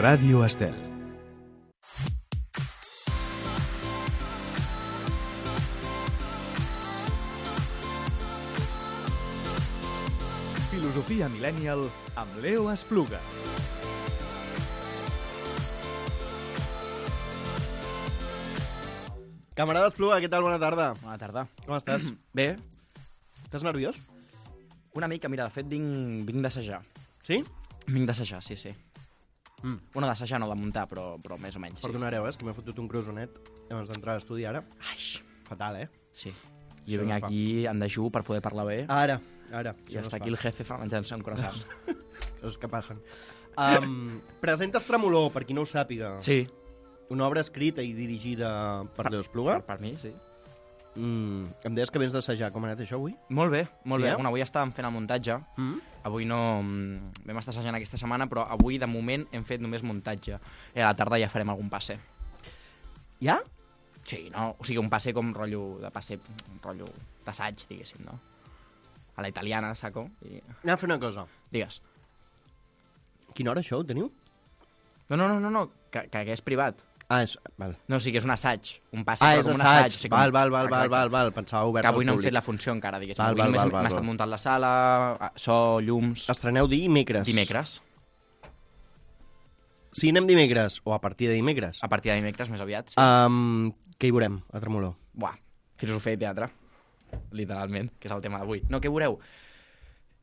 Ràdio Estel. Filosofia Millennial amb Leo Espluga. Camarada Espluga, què tal? Bona tarda. Bona tarda. Com estàs? Bé, Estàs nerviós? una mica, mira, de fet vinc d'assajar. Sí? Vinc d'assajar, sí. Bueno, d'assajar no, de muntar, però més o menys, sí. Perdonareu, que m'he fotut un crosonet abans d'entrar a l'estudi ara. Ai, Fatal, sí. Això Jo vinc no es fa. aquí en dejú per poder parlar bé Ara. i està aquí el jefe menjant-se un croissant. Coses que passen. Presentes Tremolor, per qui no ho sàpiga. Sí, Una obra escrita i dirigida per Leo Espluga. per mi, sí. Em deies que vens d'assajar. Com ha anat això avui? Molt bé, molt Sí, bé. eh? Bueno, avui estàvem fent el muntatge. Avui no... Vam estar assajant aquesta setmana, però avui, de moment, hem fet només muntatge. I a la tarda ja farem algun passe. Ja? Sí, no? O sigui, un passe com rotllo de passe, rotllo d'assaig, diguéssim, no? A la italiana, saco? I... Anem a fer una cosa. Digues. Quina hora això ho teniu? No, que és privat. És... Val. No, o sigui, és un assaig. Un passe, És però com un assaig. assaig. O sigui, Val. Pensava obert Que avui al no hem públic. fet la funció encara, diguéssim. Val, Avui val, només val, hem val, estat val. muntant la sala, so, llums... Estreneu dimecres. Dimecres. Si anem dimecres, o a partir de dimecres, A partir de dimecres, més aviat, sí. què hi veurem a Tremolor? Buah, filosofia i teatre. Literalment, que és el tema d'avui. No, què veureu?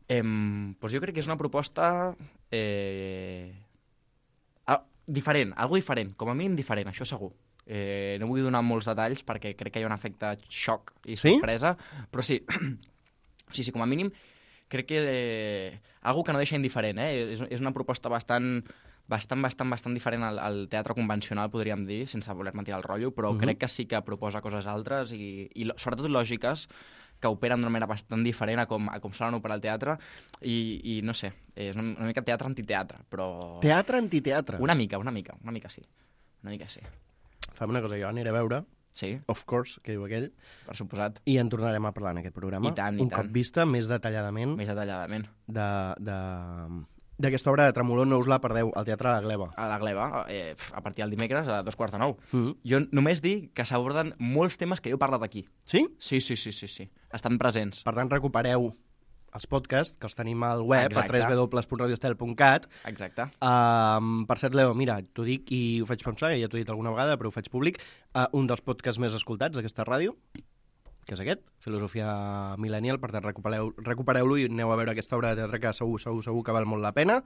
Doncs jo crec que és una proposta... diferent, algo diferent, com a mínim diferent, això segur. No vull donar molts detalls perquè crec que hi ha un efecte xoc i Sí? sorpresa, però sí, sí, com a mínim crec que algo que no deixa indiferent, és una proposta bastant diferent al teatre convencional, podríem dir, sense voler-me tirar el rotllo, però crec que sí que proposa coses altres i sobretot lògiques que operen d'una manera bastant diferent a com solen operar el teatre i no sé, és una mica teatre-antiteatre, però... Teatre-antiteatre. Una mica sí. Fem una cosa, jo aniré a veure, Sí, of course, que diu aquell, per suposat, i en tornarem a parlar en aquest programa. I tant. Un cop vista, més detalladament, més detalladament. d'aquesta obra de Tremolor. No us la perdeu, al Teatre La Gleva. A la Gleva, a partir del dimecres a 2:45. Mm. Jo només dic que s'aborden molts temes que jo he parlat aquí. Sí? Sí. Estan presents. Per tant, recupereu els podcasts, que els tenim al web, Exacte. a www.radiostel.cat. Exacte. Per cert, Leo, mira, t'ho dic i ho faig pensar, ja t'ho he dit alguna vegada, però ho faig públic, un dels podcasts més escoltats d'aquesta ràdio, que és aquest, Filosofia Millennial. Per tant, recupereu-lo i aneu a veure aquesta obra de teatre que segur que val molt la pena.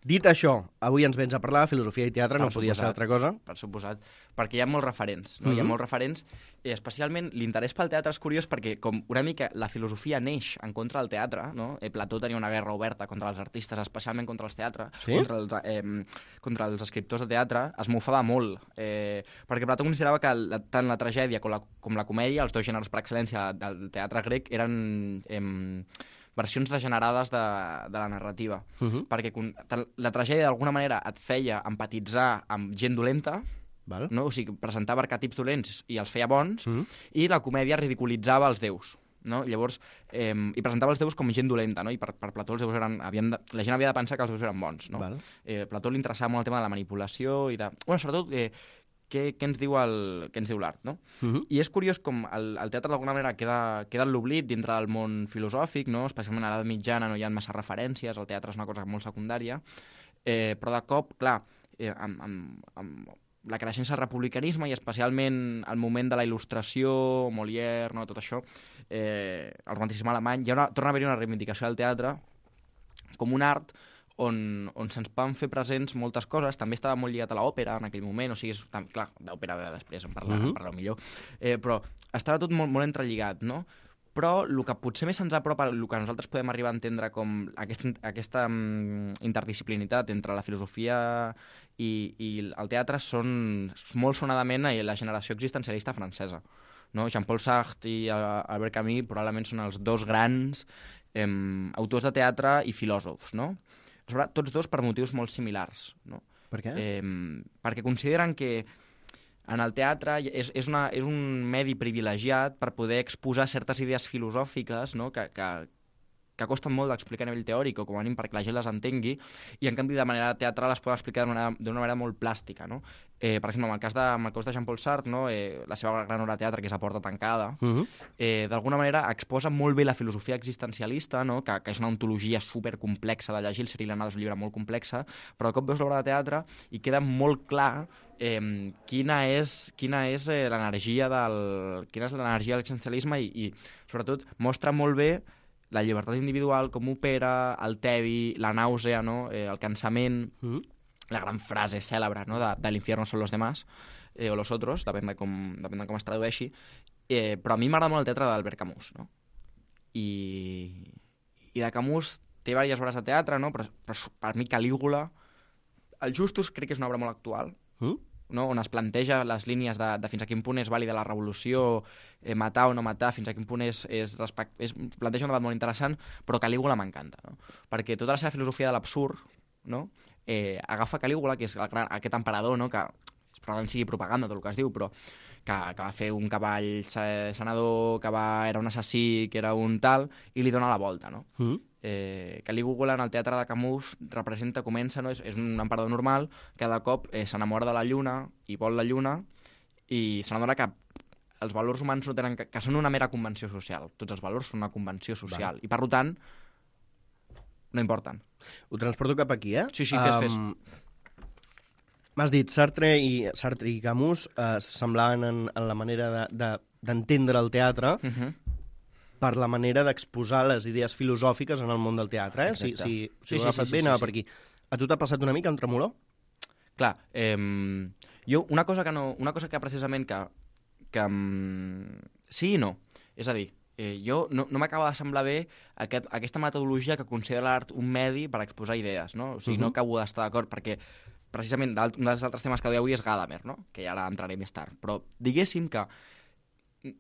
Dit això, avui ens vens a parlar de filosofia i teatre, no podia ser altra cosa. Per suposat, perquè hi ha molts referents, no? Hi ha molts referents, especialment l'interès pel teatre és curiós perquè com una mica la filosofia neix en contra del teatre, no? Plató tenia una guerra oberta contra els artistes, especialment contra els teatres, Sí? contra els escriptors de teatre, es mofava molt, perquè Plató considerava que tant la tragèdia com la comèdia, els dos gèneres per excel·lència del teatre grec, eren... versions degenerades de la narrativa. Perquè la tragèdia d'alguna manera et feia empatitzar amb gent dolenta, Val? no? O sigui, presentava arquetips dolents i els feia bons, i la comèdia ridiculitzava els déus. No? Llavors, i presentava els déus com gent dolenta, no? I per Plató els déus la gent havia de pensar que els déus eren bons. No? Val. Plató li interessava molt el tema de la manipulació i de... Bueno, sobretot, què ens diu l'art, no? I és curiós com el teatre d'alguna manera queda en l'oblit dintre del món filosòfic, no? Especialment a l'edat mitjana no hi ha massa referències, el teatre és una cosa molt secundària, però de cop, clar, amb la creixença del republicanisme i especialment el moment de la il·lustració, Molière, no? Tot això, el romanticisme alemany, torna a haver-hi una reivindicació del teatre com un art on se'ns van fer presents moltes coses. També estava molt lligat a l'òpera en aquell moment, o sigui, clar, d'òpera després en parlareu millor, però estava tot molt, molt entrelligat, no? Però el que potser més ens apropa, el que nosaltres podem arribar a entendre com aquesta interdisciplinitat entre la filosofia i el teatre són molt sonadament la generació existencialista francesa. No? Jean-Paul Sartre i Albert Camus probablement són els dos grans autors de teatre i filòsofs, no? Tots dos per motius molt similars. No? Per què? Perquè consideren que en el teatre és un medi privilegiat per poder exposar certes idees filosòfiques, no? que que costen molt d'explicar a nivell teòric o com a mínim perquè la gent les entengui, i en canvi de manera teatral les poden explicar d'una manera molt plàstica, no? Per exemple, en el cas de Jean-Paul Sartre, no? La seva gran obra de teatre, que és A porta tancada, d'alguna manera exposa molt bé la filosofia existencialista, no? que és una ontologia supercomplexa de llegir, el Cyril Anada és un llibre molt complex, però de cop veus l'obra de teatre i queda molt clar quina és l'energia de l'existencialisme i sobretot mostra molt bé la llibertat individual, com opera, el tedi, la nàusea, no? El cansament, la gran frase cèlebre, no? de l'infierno son los demás, o los otros, depèn de com es tradueixi, però a mi m'agrada molt el teatre d'Albert Camus, no? I de Camus té diverses obres de teatre, no? Però per mi Calígula, el Justus crec que és una obra molt actual, no? On es planteja les línies de fins a quin punt és vàlida la revolució, matar o no matar, fins a quin punt planteja un debat molt interessant, però Calígula m'encanta, no? Perquè tota la seva filosofia de l'absurd, no? Agafa Calígula, que és aquest emperador, no? Que probablement sigui propaganda tot el que es diu, però que va fer un cavall senador, que era un assassí, que era un tal, i li dona la volta, no? Calígula en el teatre de Camus comença, no? És un emperador normal que de cop s'enamora de la lluna i vol la lluna i se n'adona que els valors humans no tenen que són una mera convenció social. Tots els valors són una convenció social. I per tant no importen. Ho transporto cap aquí, eh? Sí, fes. M'has dit, Sartre i Camus semblaven en la manera d'entendre el teatre per la manera d'exposar les idees filosòfiques en el món del teatre, eh? Si ho he agafat bé, anava per aquí. A tu t'ha passat una mica un tremolor? Clar, jo una cosa que precisament que sí i no. És a dir, jo no m'acaba de semblar bé aquesta metodologia que considera l'art un medi per exposar idees, no? O sigui, no acabo d'estar d'acord, perquè precisament un dels altres temes que deia avui és Gadamer, no? Que ara entraré més tard. Però diguéssim que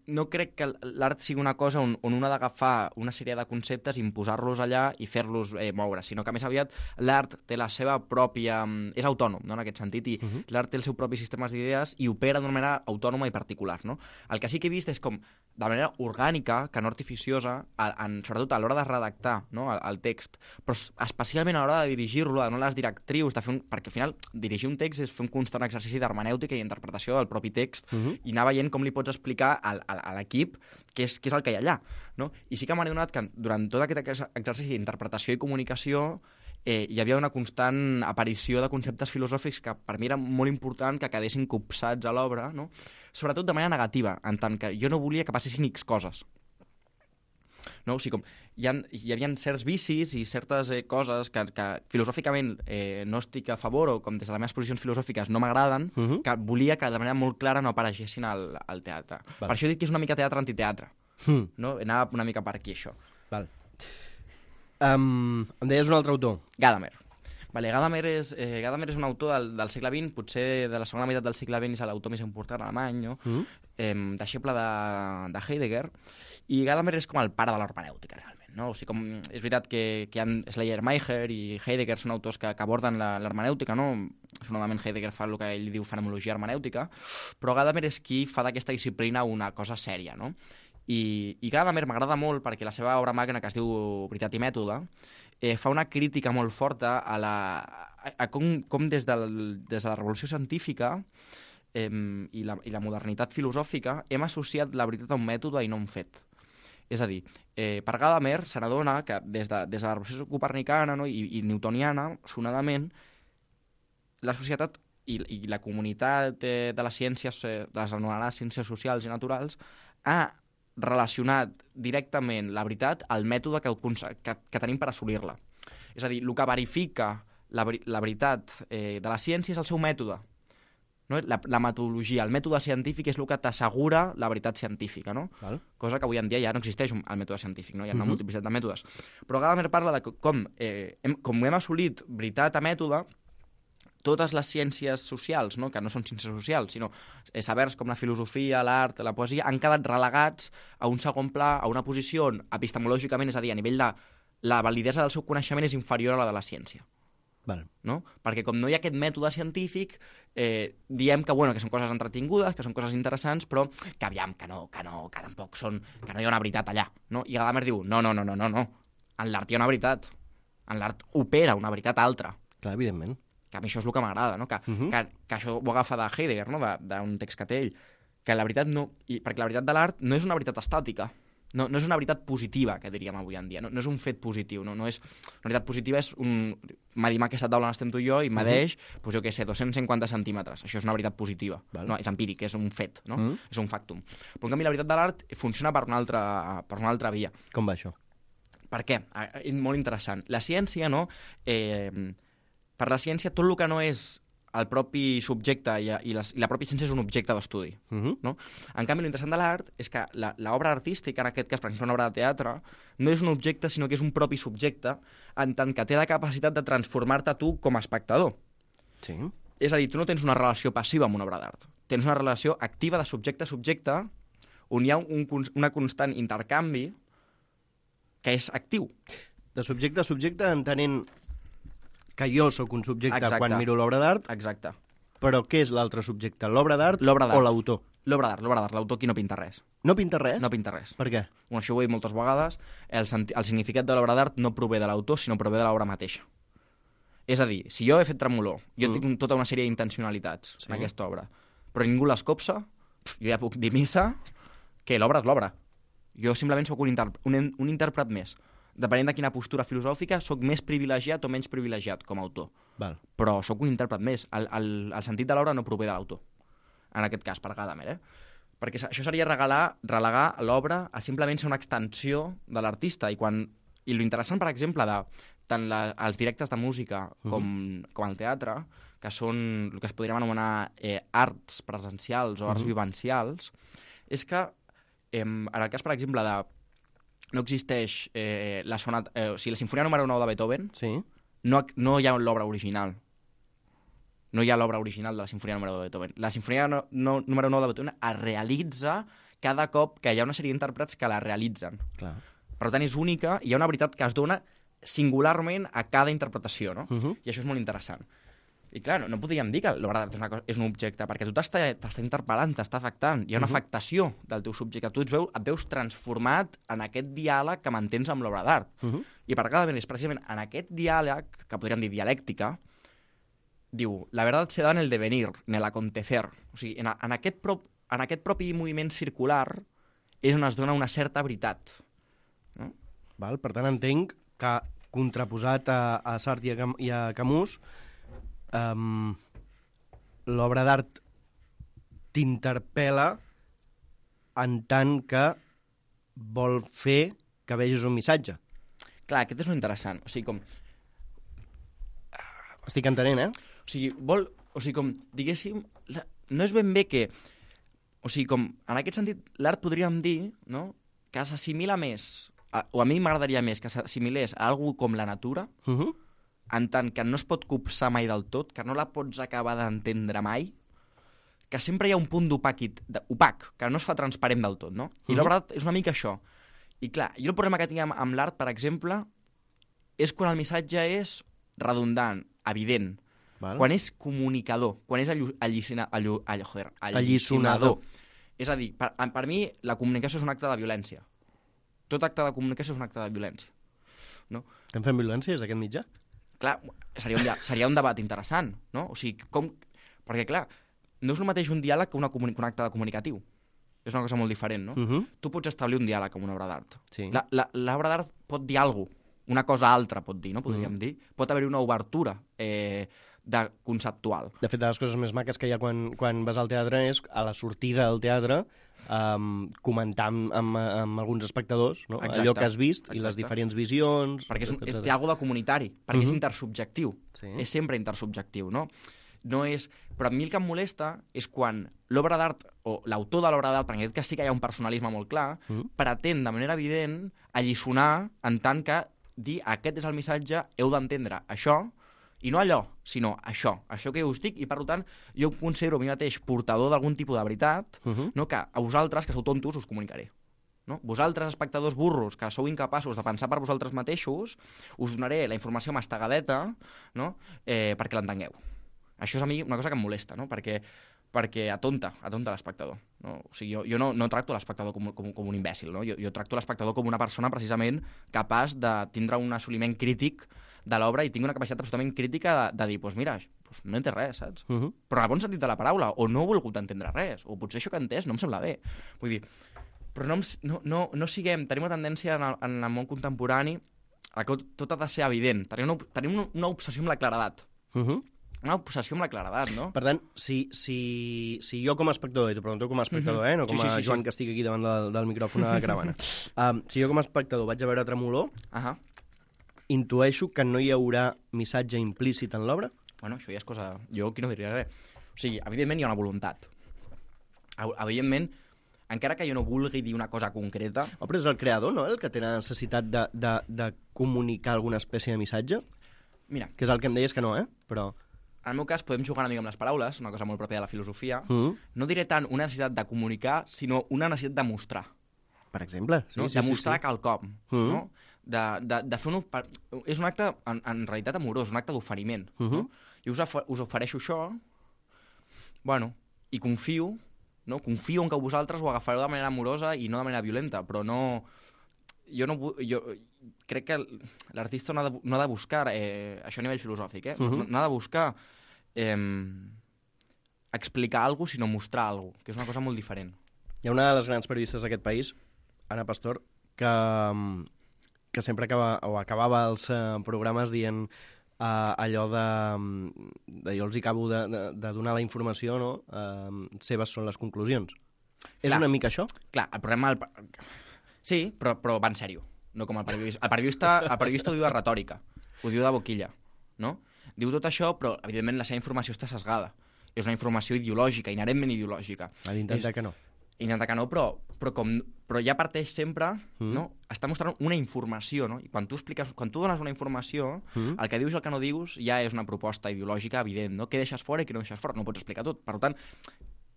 no crec que l'art sigui una cosa on un ha d'agafar una sèrie de conceptes, imposar-los allà i fer-los moure, sinó que més aviat l'art té la seva pròpia... és autònom, no?, en aquest sentit, i l'art té el seu propi sistema d'idees i opera d'una manera autònoma i particular, no? El que sí que he vist és com, de manera orgànica, que no artificiosa, sobretot a l'hora de redactar, no?, el text, però especialment a l'hora de dirigir-lo, de donar les directrius, perquè al final dirigir un text és fer un constant exercici d'hermenèutica i interpretació del propi text i anar veient com li pots explicar a l'equip què és el que hi ha allà, no? I sí que m'ha adonat que durant tot aquest exercici d'interpretació i comunicació hi havia una constant aparició de conceptes filosòfics que per mi era molt important que quedessin copsats a l'obra, no? Sobretot de manera negativa, en tant que jo no volia que passessin X coses. No? O sigui, com hi havia certs vicis i certes coses que filosòficament no estic a favor o com des de les meves posicions filosòfiques no m'agraden, que volia que de manera molt clara no aparegessin al teatre. Val. Per això he dit que és una mica teatre-antiteatre. No? Anava una mica per aquí, això. Val. Em deies un altre autor. Gadamer. Vale, Gadamer és un autor del segle XX, potser de la segona meitat del segle XX és l'autor més important alemany, no? Deixeble de Heidegger, i Gadamer és com el pare de l'hermenèutica, realment, no? O sigui, és veritat que hi ha Schleiermacher i Heidegger són autors que aborden l'hermenèutica, no? Fonamentalment Heidegger fa el que ell diu fenomenologia hermenèutica, però Gadamer és qui fa d'aquesta disciplina una cosa sèria, no? I Gadamer m'agrada molt perquè la seva obra magna, que es diu Veritat i mètode, fa una crítica molt forta a com des de la revolució científica i la modernitat filosòfica hem associat la veritat a un mètode i no a un fet. És a dir, per Gadamer se n'adona que des de la revolució copernicana, no, i newtoniana, sonadament, la societat i la comunitat de les ciències, de les anomenades ciències socials i naturals, ha relacionat directament la veritat al mètode que tenim per assolir-la. És a dir, el que verifica la veritat de la ciència és el seu mètode. No? La metodologia, el mètode científic és el que t'assegura la veritat científica, no? Val. Cosa que avui en dia ja no existeix el mètode científic, no? Hi ha una multiplicitat de mètodes. Però Gadamer parla de com hem assolit veritat a mètode, totes les ciències socials, no? Que no són ciències socials, sinó sabers com la filosofia, l'art, la poesia, han quedat relegats a un segon pla, a una posició on epistemològicament, és a dir, a nivell de la validesa del seu coneixement és inferior a la de la ciència. Vale. No? Perquè com no hi ha aquest mètode científic, diem que són coses entretingudes, que són coses interessants, però que aviam, que tampoc són, que no hi ha una veritat allà. No? I Gadamer diu, no. en l'art hi ha una veritat. En l'art opera una veritat altra. Clar, evidentment. Que a mi això és el que m'agrada, no? Que això ho agafa de Heidegger, no? D'un text que té ell. Que la veritat no... Perquè la veritat de l'art no és una veritat estàtica. No és una veritat positiva, que diríem avui en dia. No és un fet positiu. No és... Una veritat positiva és un... Medim aquesta taula on estem tu i jo i medeix, doncs jo què sé, 250 centímetres. Això és una veritat positiva. No, és empíric, és un fet, no? És un factum. Però en canvi la veritat de l'art funciona per una altra via. Com va això? Per què? Molt interessant. La ciència, no? Per la ciència, tot el que no és el propi subjecte i la pròpia ciència és un objecte d'estudi. No? En canvi, l'interessant de l'art és que l'obra artística, en aquest cas, per exemple, una obra de teatre, no és un objecte, sinó que és un propi subjecte, en tant que té la capacitat de transformar-te tu com a espectador. Sí. És a dir, tu no tens una relació passiva amb una obra d'art. Tens una relació activa de subjecte a subjecte, on hi ha una constant intercanvi que és actiu. De subjecte a subjecte, entenent que jo sóc un subjecte quan miro l'obra d'art. Exacte. Però què és l'altre subjecte? L'obra d'art o l'autor? L'obra d'art. L'autor qui no pinta res. No pinta res? No pinta res. Per què? Bueno, això ho he dit moltes vegades. El significat de l'obra d'art no prové de l'autor, sinó prové de l'obra mateixa. És a dir, si jo he fet Tremolor, jo tinc tota una sèrie d'intencionalitats en aquesta obra, però ningú les copsa, jo ja puc dir missa que l'obra és l'obra. Jo simplement sóc un intèrpret més. Depenent de quina postura filosòfica, sóc més privilegiat o menys privilegiat com a autor. Val. Però sóc un intèrpret més. El sentit de l'obra no prové de l'autor. En aquest cas, per Gadamer, Perquè això seria relegar l'obra a simplement ser una extensió de l'artista. I l'interessant, per exemple, de tant els directes de música com el teatre, que són el que es podríem anomenar arts presencials o arts vivencials, és que en el cas, per exemple, no existeix la Sinfonia número 9 de Beethoven, no hi ha l'obra original. No hi ha l'obra original de la Sinfonia número 9 de Beethoven. La Sinfonia número 9 de Beethoven es realitza cada cop que hi ha una sèrie d'intèrprets que la realitzen. Clar. Per tant, és única i hi ha una veritat que es dona singularment a cada interpretació, no? I això és molt interessant. I clar, no podríem dir que l'obra d'art és un objecte, perquè tu t'està interpel·lant, t'està afectant. Hi ha una afectació del teu subjecte. Tu et veus transformat en aquest diàleg que mantens amb l'obra d'art. I per Gadamer és precisament en aquest diàleg, que podríem dir dialèctica, diu, la verdad se da en el devenir, en el acontecer. O sigui, en aquest propi moviment circular és on es dona una certa veritat. No? Val, per tant, entenc que contraposat a Sartre i a Camus, l'obra d'art t'interpel·la en tant que vol fer que vegis un missatge. Clar, aquest és un interessant. O sigui, com... Estic entenent, O sigui, com, diguéssim, no és ben bé que... O sigui, com, en aquest sentit, l'art podríem dir, no?, que s'assimila més, o a mi m'agradaria més que s'assimilés a algú com la natura, en tant que no es pot copsar mai del tot, que no la pots acabar d'entendre mai, que sempre hi ha un punt opac, que no es fa transparent del tot, no? I l'obra d'art és una mica això. I clar, jo el problema que tinc amb l'art, per exemple, és quan el missatge és redundant, evident, quan és comunicador, quan és alliçonador. És a dir, per mi la comunicació és un acte de violència. Tot acte de comunicació és un acte de violència. No? Estem fent violència des d'aquest mitjà? Clar, seria un debat interessant, no? O sigui, perquè clar, no és el mateix un diàleg que un acte de comunicatiu. És una cosa molt diferent, no? Tu pots establir un diàleg amb una obra d'art. Sí. L'obra d'art pot dir alguna cosa, una cosa altra pot dir, no? Podríem dir. Pot haver-hi una obertura conceptual. De fet, de les coses més maques que hi ha quan vas al teatre és a la sortida del teatre comentar amb alguns espectadors, no? Allò que has vist i les diferents visions... Perquè té alguna de comunitari, perquè és intersubjectiu. És sempre intersubjectiu, no? Però a mi el que em molesta és quan l'obra d'art, o l'autor de l'obra d'art, perquè en aquest cas sí que hi ha un personalisme molt clar, pretén de manera evident alliçonar en tant que dir aquest és el missatge, heu d'entendre això, i no allò, sinó això que us dic, i per tant jo em considero a mi mateix portador d'algun tipus de veritat, no? Que a vosaltres, que sou tontos, us comunicaré. No? Vosaltres, espectadors burros, que sou incapaços de pensar per vosaltres mateixos, us donaré la informació mastegadeta, no? Perquè l'entengueu. Això és a mi una cosa que em molesta, no? Perquè perquè atonta l'espectador. No? O sigui, jo no tracto l'espectador com un imbècil, no? Jo tracto l'espectador com una persona precisament capaç de tindre un assoliment crític de l'obra i tinc una capacitat absolutament crítica de dir, doncs mira, no entès res, saps? Però en el bon sentit de la paraula, o no he volgut entendre res, o potser això que he entès no em sembla bé. Vull dir, però no siguem, tenim una tendència en el món contemporani a que tot ha de ser evident. Tenim una obsessió amb la claredat. Una obsessió amb la claredat, no? Per tant, si jo com a espectador, i t'ho pregunto com a espectador, no com a Joan que estic aquí davant del micròfon a la caravana, si jo com a espectador vaig a veure Tremolor, intueixo que no hi haurà missatge implícit en l'obra? Bueno, això ja és cosa... Jo aquí no diria res. O sigui, evidentment hi ha una voluntat. Evidentment, encara que jo no vulgui dir una cosa concreta... Però és el creador, no?, el que té la necessitat de comunicar alguna espècie de missatge? Mira... Que és el que em deies que no, però... En el meu cas, podem jugar una mica amb les paraules, una cosa molt pròpia de la filosofia. No diré tant una necessitat de comunicar, sinó una necessitat de mostrar. Per exemple. No? De mostrar quelcom. No? De fer és un acte, en realitat, amorós, un acte d'oferiment. No? Jo us ofereixo això, bueno, i confio en que vosaltres ho agafareu de manera amorosa i no de manera violenta, però no... Jo crec que l'artista no ha de buscar, això a nivell filosòfic, no ha de buscar explicar alguna cosa, sinó mostrar alguna cosa, que és una cosa molt diferent. Hi ha una de les grans periodistes d'aquest país, Ana Pastor, que sempre acabava els programes dient allò de jo els acabo de donar la informació, no? Seves són les conclusions. És una mica això? Clar, el problema... Sí, però va en sèrio, no com el periodista. El periodista ho diu de retòrica, ho diu de boquilla, no? Diu tot això, però evidentment la seva informació està sesgada. És una informació ideològica, inherentment ideològica. Intentar que no. Intentar que no, però ja parteix sempre, no? Està mostrant una informació, no? I quan tu dones una informació, el que dius i el que no dius ja és una proposta ideològica evident, no? Què deixes fora i què no deixes fora, no ho pots explicar tot. Per tant,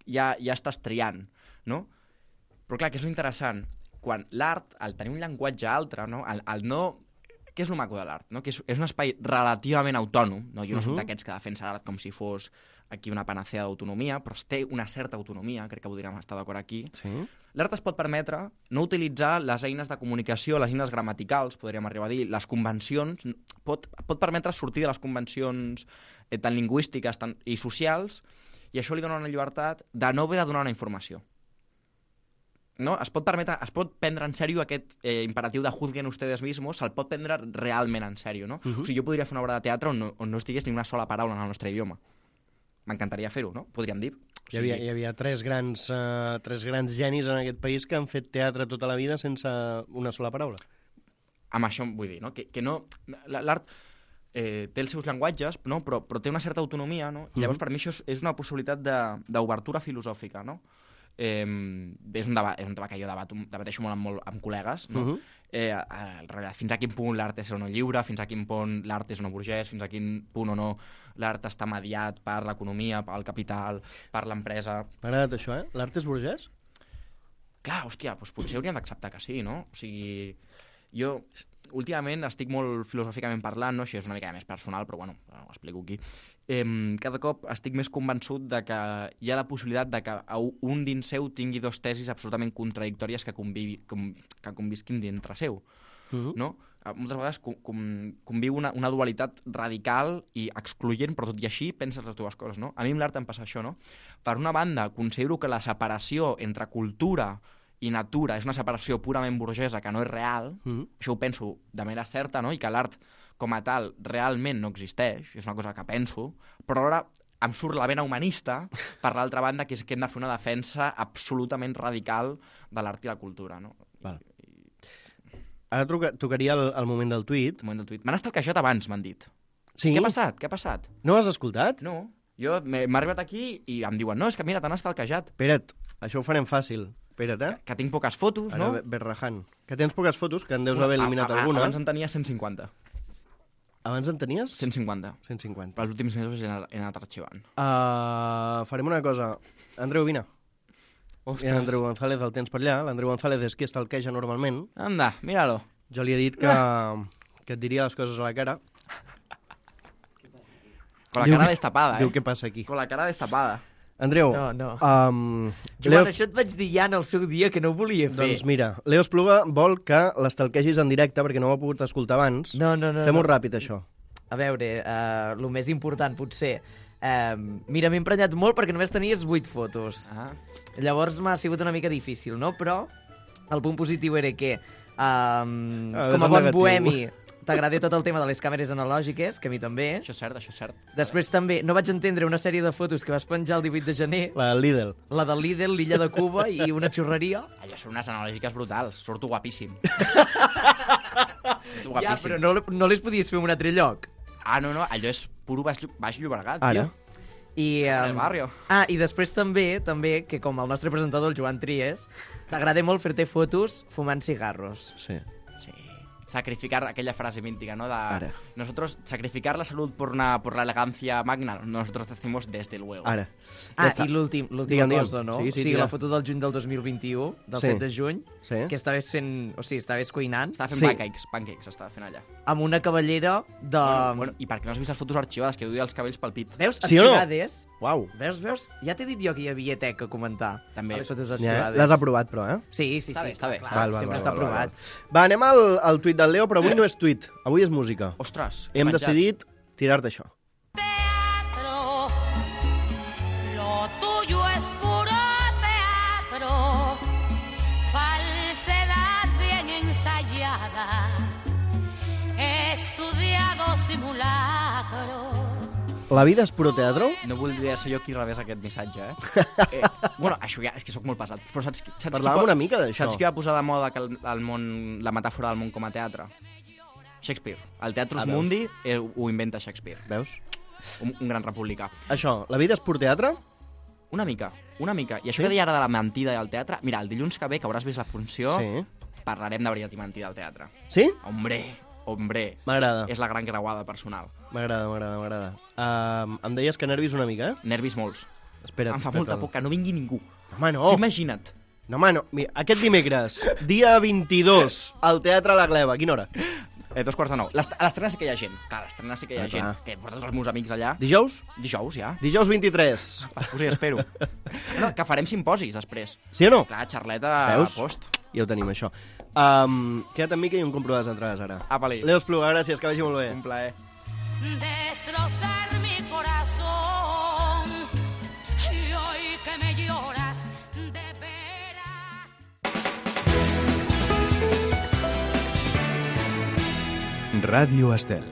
ja estàs triant, no? Però clar, que és interessant, quan l'art, al tenir un llenguatge altre, no? Què és el maco de l'art? No? Que és un espai relativament autònom, no? Jo no soc d'aquests que defensa l'art com si fos aquí una panacea d'autonomia, però té una certa autonomia, crec que podríem estar d'acord aquí. Sí. L'art es pot permetre no utilitzar les eines de comunicació, les eines gramaticals, podríem arribar a dir, les convencions, pot permetre sortir de les convencions tant lingüístiques i socials, i això li dona una llibertat de no haver de donar una informació. No? Es pot prendre en sèrio aquest imperatiu de juzguen ustedes mismos, se'l pot prendre realment en sèrio, no? O sigui, jo podria fer una obra de teatre on no estigués ni una sola paraula en el nostre idioma. M'encantaria fer-ho, no? Podríem dir. O sigui... Hi havia tres grans genis en aquest país que han fet teatre tota la vida sense una sola paraula. Amb això vull dir, no? Que no... L'art té els seus llenguatges, no? Però té una certa autonomia, no? I llavors, per mi, això és una possibilitat d'obertura filosòfica, no? És un debat que jo debateixo molt amb col·legues, no? Fins a quin punt l'art és o no lliure, fins a quin punt l'art és o no burgès, fins a quin punt o no l'art està mediat per l'economia, pel capital, per l'empresa. M'ha agradat això, L'art és burgès? Clar, hòstia, doncs potser hauríem d'acceptar que sí, no? O sigui, jo últimament estic molt filosòficament parlant, no? Això és una mica més personal, però bueno, ho explico aquí. Cada cop estic més convençut de que hi ha la possibilitat de que un dins seu tingui dos tesis absolutament contradictòries que convisquin dintre seu, no? Moltes vegades conviu una dualitat radical i excloent, però tot i així penses les dues coses, no? A mi amb l'art em passa això, no? Per una banda, considero que la separació entre cultura i natura és una separació purament burgesa que no és real, això ho penso de manera certa, no? I que l'art com a tal realment no existeix, és una cosa que penso, però ara em surt la vena humanista, per l'altra banda, que és que hem de fer una defensa absolutament radical de l'art i la cultura, no? Val. Ara tocaria el moment del tuit. El moment del tuit. M'han estalquejat abans, m'han dit. Sí? Què ha passat? No has escoltat? No. Jo m'he arribat aquí i em diuen, no, és que mira, t'han estalquejat. Espera't, això ho farem fàcil. Espera't, Que tinc poques fotos, no? Ara, Berrahan. Que tens poques fotos, que en deus haver eliminat alguna. Abans en tenia 150. Abans en tenies? 150. 150. Per els últims mesos he anat arxivant. Farem una cosa. Andreu, vine. Ostres. I l'Andreu González el tens per allà. L'Andreu González és qui estalqueja normalment. Anda, míralo. Jo li he dit que et diria les coses a la cara. Con la cara destapada, Diu què passa aquí. Con la cara destapada. Andreu, No. Joan, això et vaig dir ja en el seu dia que no ho volia fer. doncs mira, Leo Espluga vol que l'estalquegis en directe perquè no ho ha pogut escoltar abans. No. Fem-ho ràpid, això. A veure, el més important potser... mira, m'he emprenyat molt perquè només tenies 8 fotos. Llavors m'ha sigut una mica difícil, no? Però el punt positiu era que, com a bon bohemi, t'agrada tot el tema de les càmeres analògiques, que a mi també. Això és cert. Després també no vaig entendre una sèrie de fotos que vas penjar el 18 de gener. La Lidl. La del Lidl, l'illa de Cuba i una xurreria. Allò són unes analògiques brutals. Surto guapíssim. Ja, però no les podies fer en un altre lloc. No, allò és puro Baix Llobregat, Ara. tio. I, El barrio. I després també, que com el nostre presentador, el Joan Tries, t'agrada molt fer-te fotos fumant cigarros. Sí. Sí. Sacrificar aquella frase mítica, ¿no? Ara. Nosotros, sacrificar la salud por la elegancia magna, nosotros decimos desde luego. Ara. Ja està. I l'última Digue'm. cosa, no? Sí, O sigui, tira. la foto del juny del 2021, del 7 de juny, que estaves fent... O sigui, estaves cuinant. Estava fent pancakes, estava fent allà. Amb una cavallera de... Bueno, i per què no has vist les fotos arxivades, que duia els cabells pel pit? Veus? Sí o no? Arxivades. Uau. Veus? Ja t'he dit jo que hi havia tec a comentar. També. A les fotos Ja, arxivades. l'has aprovat, però, eh? Sí. Està bé. Clar, sempre està aprovat. Va, anem al tuit del Leo, però avui no és tuit, avui és música. Ostres, Hem decidit tirar-te això. Teatro, lo tuyo es puro teatro, falsedad bien ensayada, estudiado simulacro. La vida és puro teatro? No voldria ser jo qui rebés aquest missatge, bueno, això ja, és que sóc molt pesat. Però saps Parlàvem una mica d'això. Saps qui va posar de moda que el món, la metàfora del món com a teatre? Shakespeare. El Teatrus Mundi ho inventa Shakespeare. Veus? Un gran republicà. Això, la vida és pur teatre? Una mica. I això que deia ara de la mentida del teatre... Mira, el dilluns que ve, que hauràs vist la funció, parlarem de veritat i mentida del teatre. Sí? Hombre. M'agrada. És la gran creuada personal. M'agrada. Em deies que nervis una mica, eh? Nervis molts. Espera't. Em fa molta por que no vingui ningú. Home, no. Imagina't. No, home, no. Mira, aquest dimecres, dia 22, al Teatre La Gleva. A quina hora? 9:15. A l'estrena sí que hi ha gent. Clar, a l'estrena sí que hi ha gent. Que portes els meus amics allà. Dijous? Dijous, ja. Dijous 23. Us hi espero. No, que farem simposis després. Sí o no? Clar, xarleta Veus? a post. Ja ho tenim, això. Queda't amb mi que hi ha un compro de les entrades ara. Apa-li. Leo Espluga, gràcies, que vagi molt bé. Un plaer. Destrozar mi corazón y hoy que me lloras de veras. Ràdio Estel.